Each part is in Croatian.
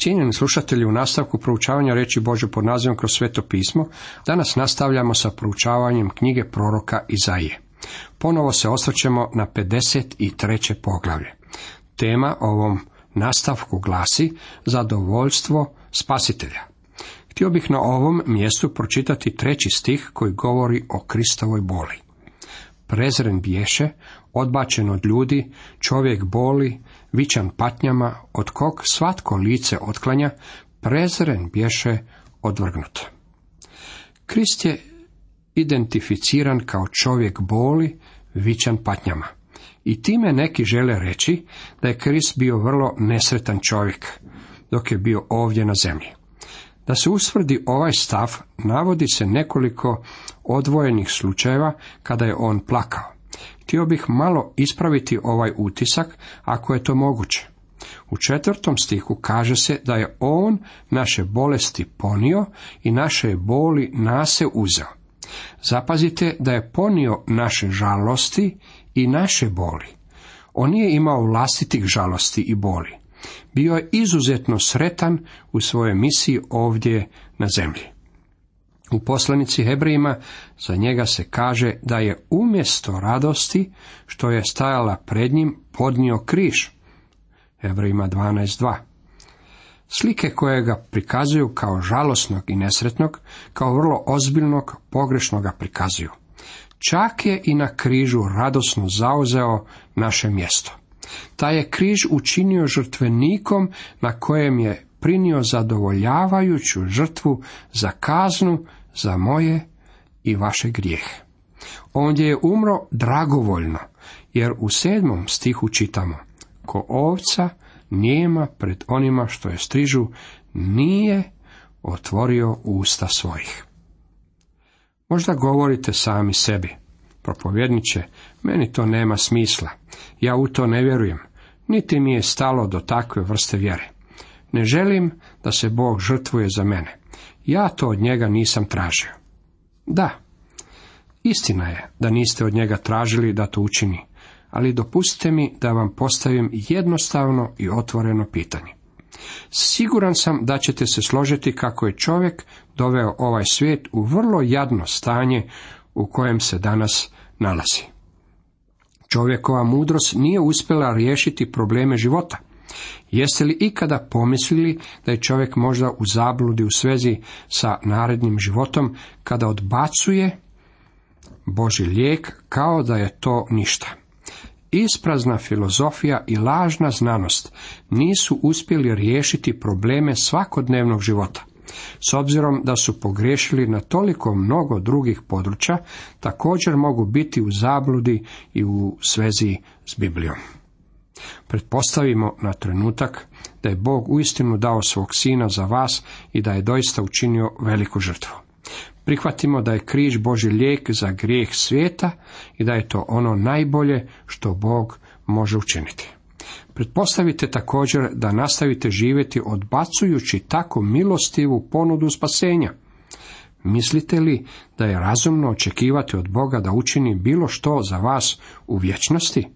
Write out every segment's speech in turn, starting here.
Cijenjeni slušatelji, u nastavku proučavanja riječi Božje pod nazivom Kroz sveto pismo, danas nastavljamo sa proučavanjem knjige proroka Izaije. Ponovo se osvrćemo na 53. poglavlje. Tema ovom nastavku glasi Zadovoljstvo spasitelja. Htio bih na ovom mjestu pročitati 3. stih koji govori o Kristovoj boli. Prezren biješe, odbačen od ljudi, čovjek boli, vičan patnjama, od kog svatko lice otklanja, prezren biješe, odvrgnut. Krist je identificiran kao čovjek boli, vičan patnjama. I time neki žele reći da je Krist bio vrlo nesretan čovjek dok je bio ovdje na zemlji. Da se ustvrdi ovaj stav, navodi se nekoliko odvojenih slučajeva kada je on plakao. Htio bih malo ispraviti ovaj utisak, ako je to moguće. U 4. stihu kaže se da je on naše bolesti ponio i naše boli nase uzeo. Zapazite da je ponio naše žalosti i naše boli. On nije imao vlastitih žalosti i boli. Bio je izuzetno sretan u svojoj misiji ovdje na zemlji. U poslanici Hebrejima za njega se kaže da je umjesto radosti što je stajala pred njim podnio križ. Hebrejima 12.2. Slike koje ga prikazuju kao žalosnog i nesretnog, kao vrlo ozbiljnog, pogrešnog ga prikazuju. Čak je i na križu radosno zauzeo naše mjesto. Taj je križ učinio žrtvenikom na kojem je prinio zadovoljavajuću žrtvu za kaznu, za moje i vaše grijehe. Ondje je umro dragovoljno, jer u 7. stihu čitamo: ko ovca nijema pred onima što je strižu, nije otvorio usta svojih. Možda govorite sami sebi: propovjedniče, meni to nema smisla, ja u to ne vjerujem, niti mi je stalo do takve vrste vjere. Ne želim da se Bog žrtvuje za mene, ja to od njega nisam tražio. Da, istina je da niste od njega tražili da to učini, ali dopustite mi da vam postavim jednostavno i otvoreno pitanje. Siguran sam da ćete se složiti kako je čovjek doveo ovaj svijet u vrlo jadno stanje u kojem se danas nalazi. Čovjekova mudrost nije uspjela riješiti probleme života. Jeste li ikada pomislili da je čovjek možda u zabludi u svezi sa narednim životom kada odbacuje Božji lijek kao da je to ništa? Isprazna filozofija i lažna znanost nisu uspjeli riješiti probleme svakodnevnog života. S obzirom da su pogriješili na toliko mnogo drugih područja, također mogu biti u zabludi i u svezi s Biblijom. Pretpostavimo na trenutak da je Bog uistinu dao svog sina za vas i da je doista učinio veliku žrtvu. Prihvatimo da je križ Božji lijek za grijeh svijeta i da je to ono najbolje što Bog može učiniti. Pretpostavite također da nastavite živjeti odbacujući tako milostivu ponudu spasenja. Mislite li da je razumno očekivati od Boga da učini bilo što za vas u vječnosti?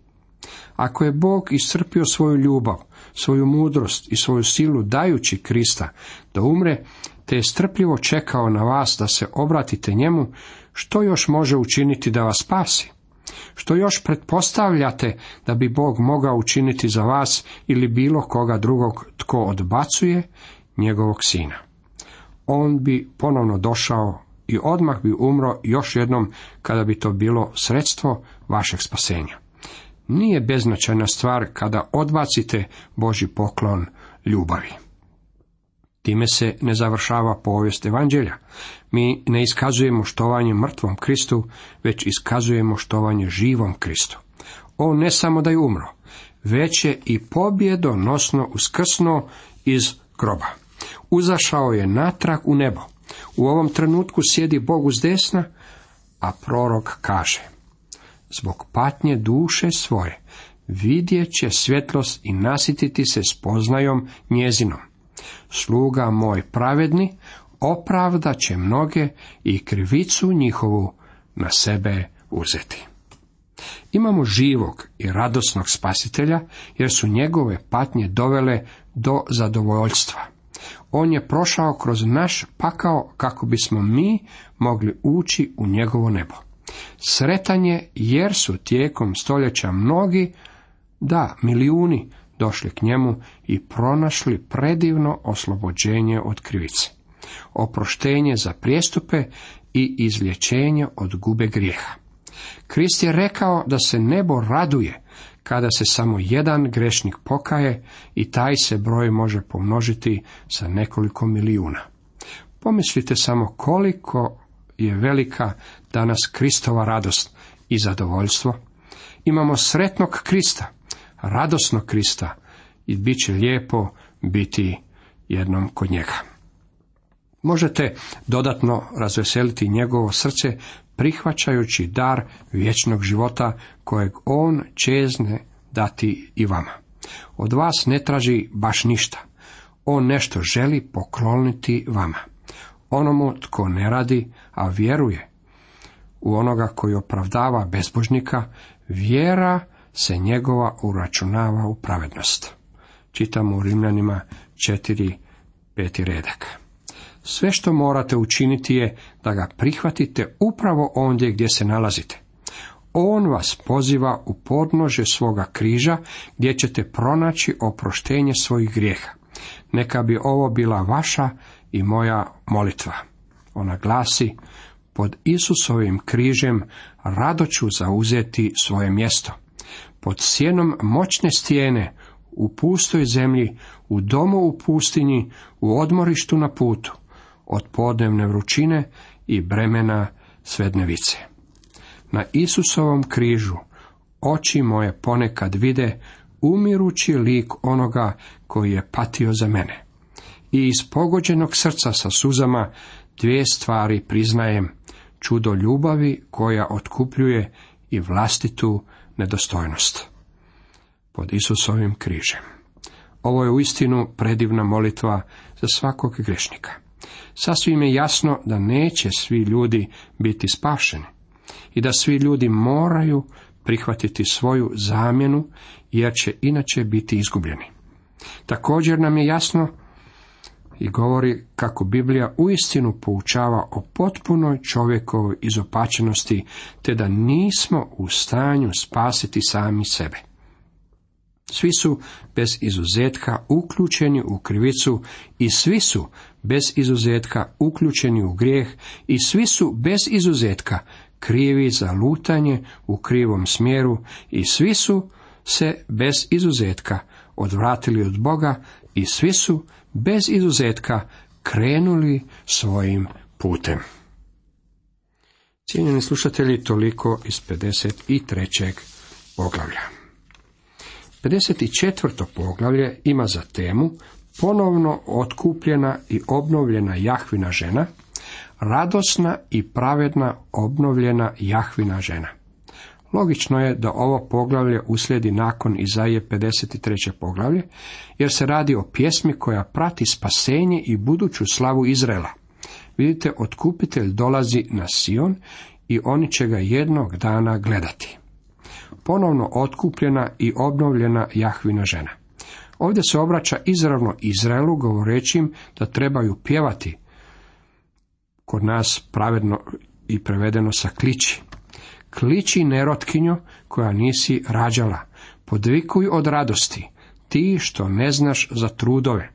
Ako je Bog iscrpio svoju ljubav, svoju mudrost i svoju silu dajući Krista da umre, te je strpljivo čekao na vas da se obratite njemu, što još može učiniti da vas spasi? Što još pretpostavljate da bi Bog mogao učiniti za vas ili bilo koga drugog tko odbacuje njegovog sina? On bi ponovno došao i odmah bi umro još jednom kada bi to bilo sredstvo vašeg spasenja. Nije beznačajna stvar kada odbacite Božji poklon ljubavi. Time se ne završava povijest evanđelja. Mi ne iskazujemo štovanje mrtvom Kristu, već iskazujemo štovanje živom Kristu. On ne samo da je umro, već je i pobjedonosno uskrsnuo iz groba. Uzašao je natrag u nebo. U ovom trenutku sjedi Bog uzdesna, a prorok kaže: zbog patnje duše svoje vidjet će svjetlost i nasititi se spoznajom njezinom. Sluga moj pravedni opravdat će mnoge i krivicu njihovu na sebe uzeti. Imamo živog i radosnog spasitelja, jer su njegove patnje dovele do zadovoljstva. On je prošao kroz naš pakao kako bismo mi mogli ući u njegovo nebo. Sretan je jer su tijekom stoljeća mnogi, milijuni, došli k njemu i pronašli predivno oslobođenje od krivice, oproštenje za prijestupe i izlječenje od gube grijeha. Krist je rekao da se nebo raduje kada se samo jedan grešnik pokaje i taj se broj može pomnožiti sa nekoliko milijuna. Pomislite samo koliko je velika danas Kristova radost i zadovoljstvo. Imamo sretnog Krista, radosnog Krista i bit će lijepo biti jednom kod njega. Možete dodatno razveseliti njegovo srce prihvaćajući dar vječnog života kojeg on čezne dati i vama. Od vas ne traži baš ništa. On nešto želi pokloniti vama. Onomu tko ne radi, a vjeruje u onoga koji opravdava bezbožnika, vjera se njegova uračunava u pravednost. Čitamo u Rimljanima 4:5 redak. Sve što morate učiniti je da ga prihvatite upravo ondje gdje se nalazite. On vas poziva u podnožje svoga križa gdje ćete pronaći oproštenje svojih grijeha. Neka bi ovo bila vaša i moja molitva. Ona glasi: pod Isusovim križem rado ću zauzeti svoje mjesto. Pod sjenom moćne stijene, u pustoj zemlji, u domu u pustinji, u odmorištu na putu, od podnevne vrućine i bremena svednevice. Na Isusovom križu oči moje ponekad vide umirući lik onoga koji je patio za mene. I iz pogođenog srca sa suzama dvije stvari priznajem: čudo ljubavi koja otkupljuje i vlastitu nedostojnost. Pod Isusovim križem. Ovo je uistinu predivna molitva za svakog grešnika. Sasvim je jasno da neće svi ljudi biti spašeni i da svi ljudi moraju prihvatiti svoju zamjenu, jer će inače biti izgubljeni. Također nam je jasno i govori kako Biblija uistinu poučava o potpunoj čovjekovoj izopačenosti, te da nismo u stanju spasiti sami sebe. Svi su bez izuzetka uključeni u krivicu i svi su bez izuzetka uključeni u grijeh i svi su bez izuzetka krivi za lutanje u krivom smjeru i svi su se bez izuzetka odvratili od Boga i svi su bez izuzetka krenuli svojim putem. Cijenjeni slušatelji, toliko iz 53. poglavlja. 54. poglavlje ima za temu ponovno otkupljena i obnovljena Jahvina žena, radosna i pravedna obnovljena Jahvina žena. Logično je da ovo poglavlje uslijedi nakon Izaije 53. poglavlje, jer se radi o pjesmi koja prati spasenje i buduću slavu Izraela. Vidite, otkupitelj dolazi na Sion i oni će ga jednog dana gledati. Ponovno otkupljena i obnovljena Jahvina žena. Ovdje se obraća izravno Izraelu, govoreći im da trebaju pjevati, kod nas pravedno i prevedeno sa kliči. Kliči nerotkinjo koja nisi rađala, podvikuj od radosti, ti što ne znaš za trudove,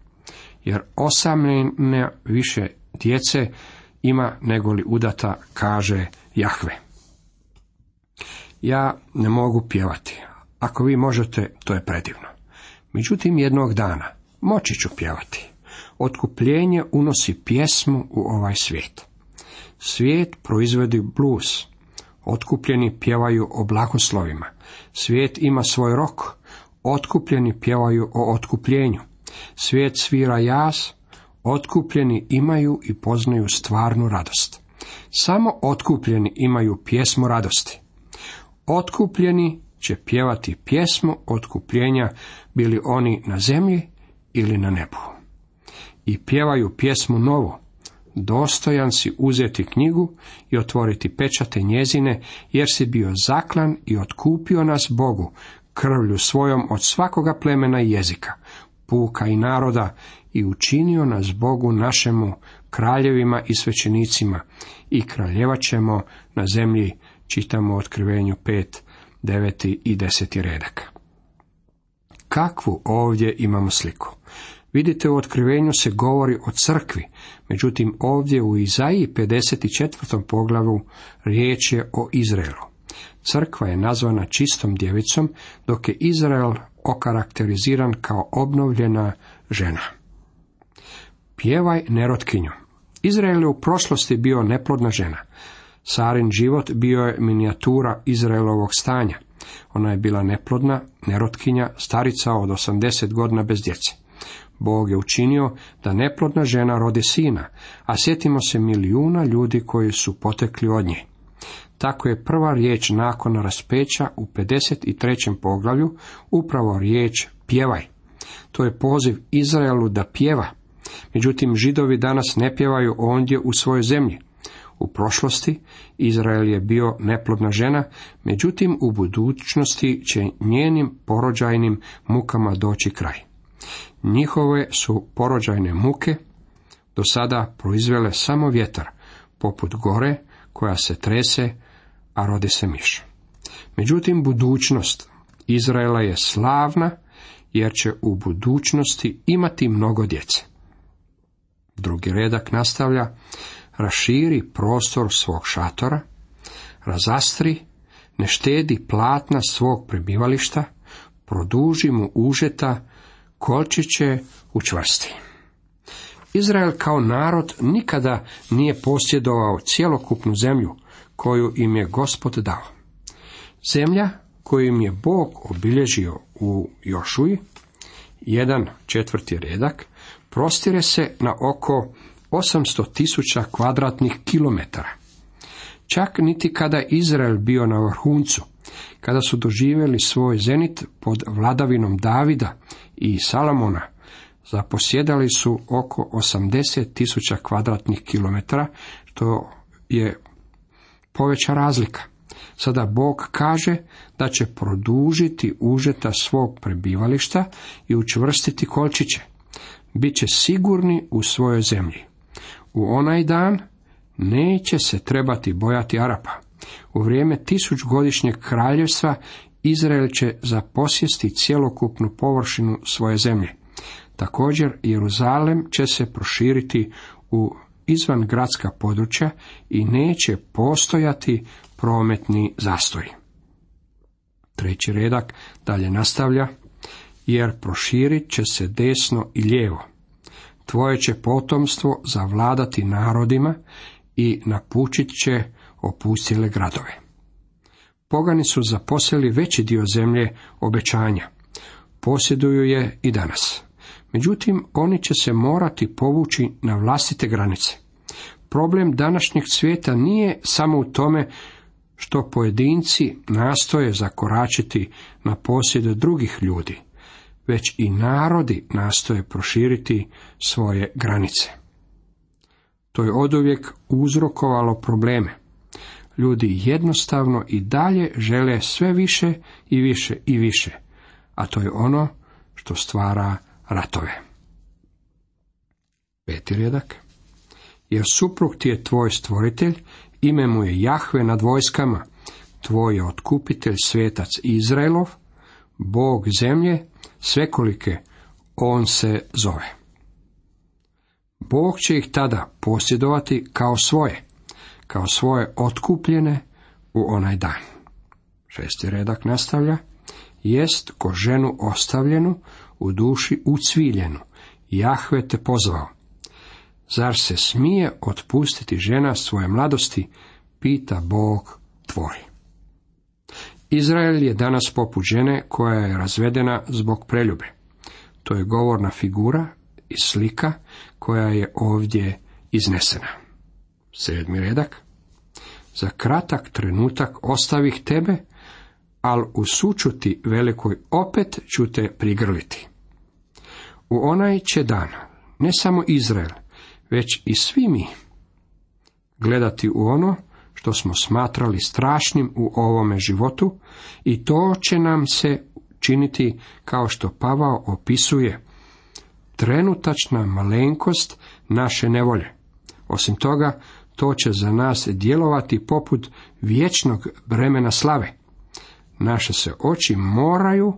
jer osamljene više djece ima negoli udata, kaže Jahve. Ja ne mogu pjevati. Ako vi možete, to je predivno. Međutim, jednog dana moći ću pjevati. Otkupljenje unosi pjesmu u ovaj svijet. Svijet proizvodi blues. Otkupljeni pjevaju o blagoslovima. Svijet ima svoj rok. Otkupljeni pjevaju o otkupljenju. Svijet svira jaz. Otkupljeni imaju i poznaju stvarnu radost. Samo otkupljeni imaju pjesmu radosti. Otkupljeni će pjevati pjesmu otkupljenja, bili oni na zemlji ili na nebu. I pjevaju pjesmu novu. Dostojan si uzeti knjigu i otvoriti pečate njezine, jer si bio zaklan i otkupio nas Bogu krvlju svojom od svakoga plemena i jezika, puka i naroda, i učinio nas Bogu našemu kraljevima i svećenicima i kraljevat ćemo na zemlji, čitamo u Otkrivenju 5, 9 i 10 redak. Kakvu ovdje imamo sliku? Vidite, u Otkrivenju se govori o crkvi, međutim ovdje u Izaiji 54. poglavlju riječ je o Izraelu. Crkva je nazvana čistom djevicom, dok je Izrael okarakteriziran kao obnovljena žena. Pjevaj nerotkinju. Izrael je u prošlosti bio neplodna žena. Sarin život bio je minijatura Izraelovog stanja. Ona je bila neplodna, nerotkinja, starica od 80 godina bez djece. Bog je učinio da neplodna žena rodi sina, a sjetimo se milijuna ljudi koji su potekli od nje. Tako je prva riječ nakon raspeća u 53. poglavlju upravo riječ pjevaj. To je poziv Izraelu da pjeva. Međutim, Židovi danas ne pjevaju ondje u svojoj zemlji. U prošlosti Izrael je bio neplodna žena, međutim u budućnosti će njenim porođajnim mukama doći kraj. Njihove su porođajne muke do sada proizvele samo vjetar, poput gore koja se trese, a rodi se miš. Međutim, budućnost Izraela je slavna, jer će u budućnosti imati mnogo djece. Drugi redak nastavlja: raširi prostor svog šatora, razastri, ne štedi platna svog prebivališta, produži mu užeta, kolčiće učvrsti. Izrael kao narod nikada nije posjedovao cjelokupnu zemlju koju im je Gospod dao. Zemlja koju im je Bog obilježio u Jošuji, 1/4 redak, prostire se na oko 800.000 kvadratnih kilometara. Čak niti kada je Izrael bio na vrhuncu, kada su doživjeli svoj zenit pod vladavinom Davida i Salomona, zaposjedali su oko 80.000 kvadratnih kilometara, što je poveća razlika. Sada Bog kaže da će produžiti užeta svog prebivališta i učvrstiti kolčiće. Biće sigurni u svojoj zemlji. U onaj dan neće se trebati bojati Arapa. U vrijeme 1000-godišnjeg kraljevstva Izrael će zaposjesti cjelokupnu površinu svoje zemlje. Također Jeruzalem će se proširiti u izvangradska područja i neće postojati prometni zastoj. Treći redak dalje nastavlja: jer proširit će se desno i lijevo. Tvoje će potomstvo zavladati narodima i napučit će opustile gradove. Pogani su zaposjeli veći dio zemlje obećanja. Posjeduju je i danas. Međutim, oni će se morati povući na vlastite granice. Problem današnjeg svijeta nije samo u tome što pojedinci nastoje zakoračiti na posjed drugih ljudi, već i narodi nastoje proširiti svoje granice. To je oduvijek uzrokovalo probleme. Ljudi jednostavno i dalje žele sve više i više i više, a to je ono što stvara ratove. 5. redak: jer suprug ti je tvoj stvoritelj, ime mu je Jahve nad vojskama, tvoj je otkupitelj svetac Izraelov, Bog zemlje svekolike, on se zove. Bog će ih tada posjedovati kao svoje otkupljene u onaj dan. 6. redak nastavlja: jest ko ženu ostavljenu, u duši ucviljenu, Jahve te pozvao. Zar se smije otpustiti žena svoje mladosti, pita Bog tvoj. Izrael je danas poput žene koja je razvedena zbog preljube. To je govorna figura i slika koja je ovdje iznesena. 7. redak: za kratak trenutak ostavih tebe, al u sućuti velikoj opet ću te prigrliti. U onaj će dan ne samo Izrael, već i svi mi gledati u ono što smo smatrali strašnim u ovome životu, i to će nam se činiti kao što Pavao opisuje trenutačna malenkost naše nevolje. Osim toga, to će za nas djelovati poput vječnog bremena slave. Naše se oči moraju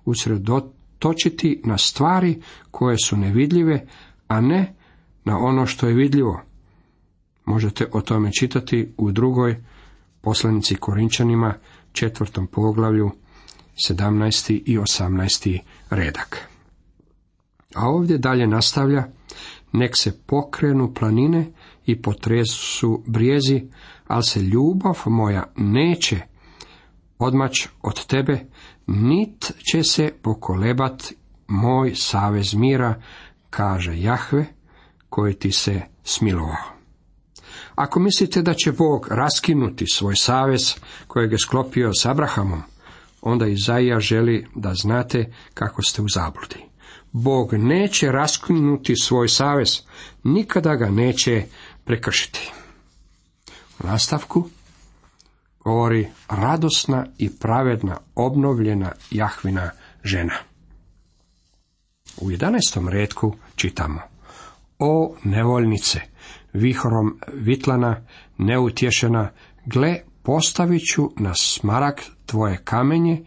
usredotočiti na stvari koje su nevidljive, a ne na ono što je vidljivo. Možete o tome čitati u drugoj poslanici Korinčanima, 4. poglavlju, 17. i 18. redak. A ovdje dalje nastavlja: nek se pokrenu planine i potresu brijezi, ali se ljubav moja neće odmać od tebe, nit će se pokolebat moj savez mira, kaže Jahve, koji ti se smilovao. Ako mislite da će Bog raskinuti svoj savez kojeg je sklopio s Abrahamom, onda Izaija želi da znate kako ste u zabludi. Bog neće raskinuti svoj savez, nikada ga neće prekršiti. U nastavku govori radosna i pravedna, obnovljena Jahvina žena. U 11. retku čitamo: o nevoljnice, vihorom vitlana, neutješena, gle, postavit ću na smaragd tvoje kamenje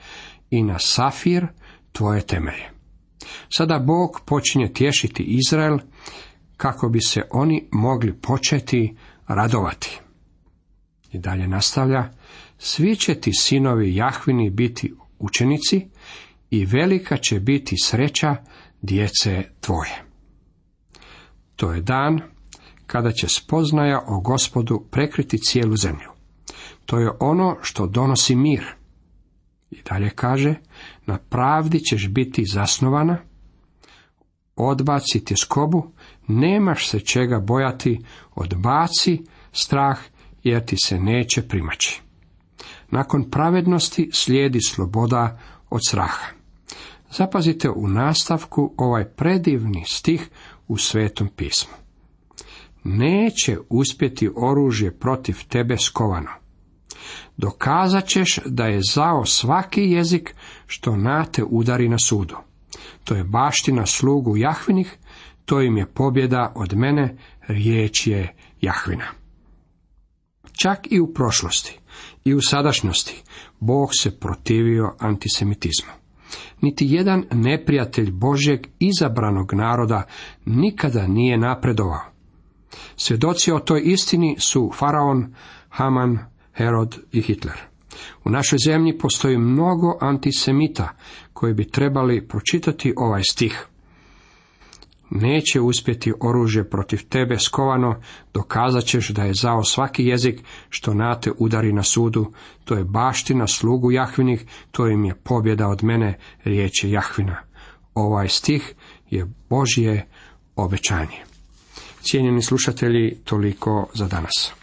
i na safir tvoje temelje. Sada Bog počinje tješiti Izrael kako bi se oni mogli početi radovati. I dalje nastavlja: svi će ti sinovi Jahvini biti učenici i velika će biti sreća djece tvoje. To je dan kada će spoznaja o Gospodu prekriti cijelu zemlju. To je ono što donosi mir. I dalje kaže: na pravdi ćeš biti zasnovana, odbaci tjeskobu, nemaš se čega bojati, odbaci strah, jer ti se neće primaći. Nakon pravednosti slijedi sloboda od straha. Zapazite u nastavku ovaj predivni stih u Svetom pismu. Neće uspjeti oružje protiv tebe skovano. Dokazat ćeš da je zao svaki jezik što na te udari na sudu. To je baština slugu Jahvinih, to im je pobjeda od mene, riječ je Jahvina. Čak i u prošlosti i u sadašnjosti Bog se protivio antisemitizmu. Niti jedan neprijatelj Božjeg izabranog naroda nikada nije napredovao. Svjedoci o toj istini su Faraon, Haman, Herod i Hitler. U našoj zemlji postoji mnogo antisemita koji bi trebali pročitati ovaj stih. Neće uspjeti oružje protiv tebe skovano, dokazat ćeš da je zao svaki jezik što na te udari na sudu, to je baština slugu Jahvinih, to im je pobjeda od mene, riječ je Jahvina. Ovaj stih je Božje obećanje. Cijenjeni slušatelji, toliko za danas.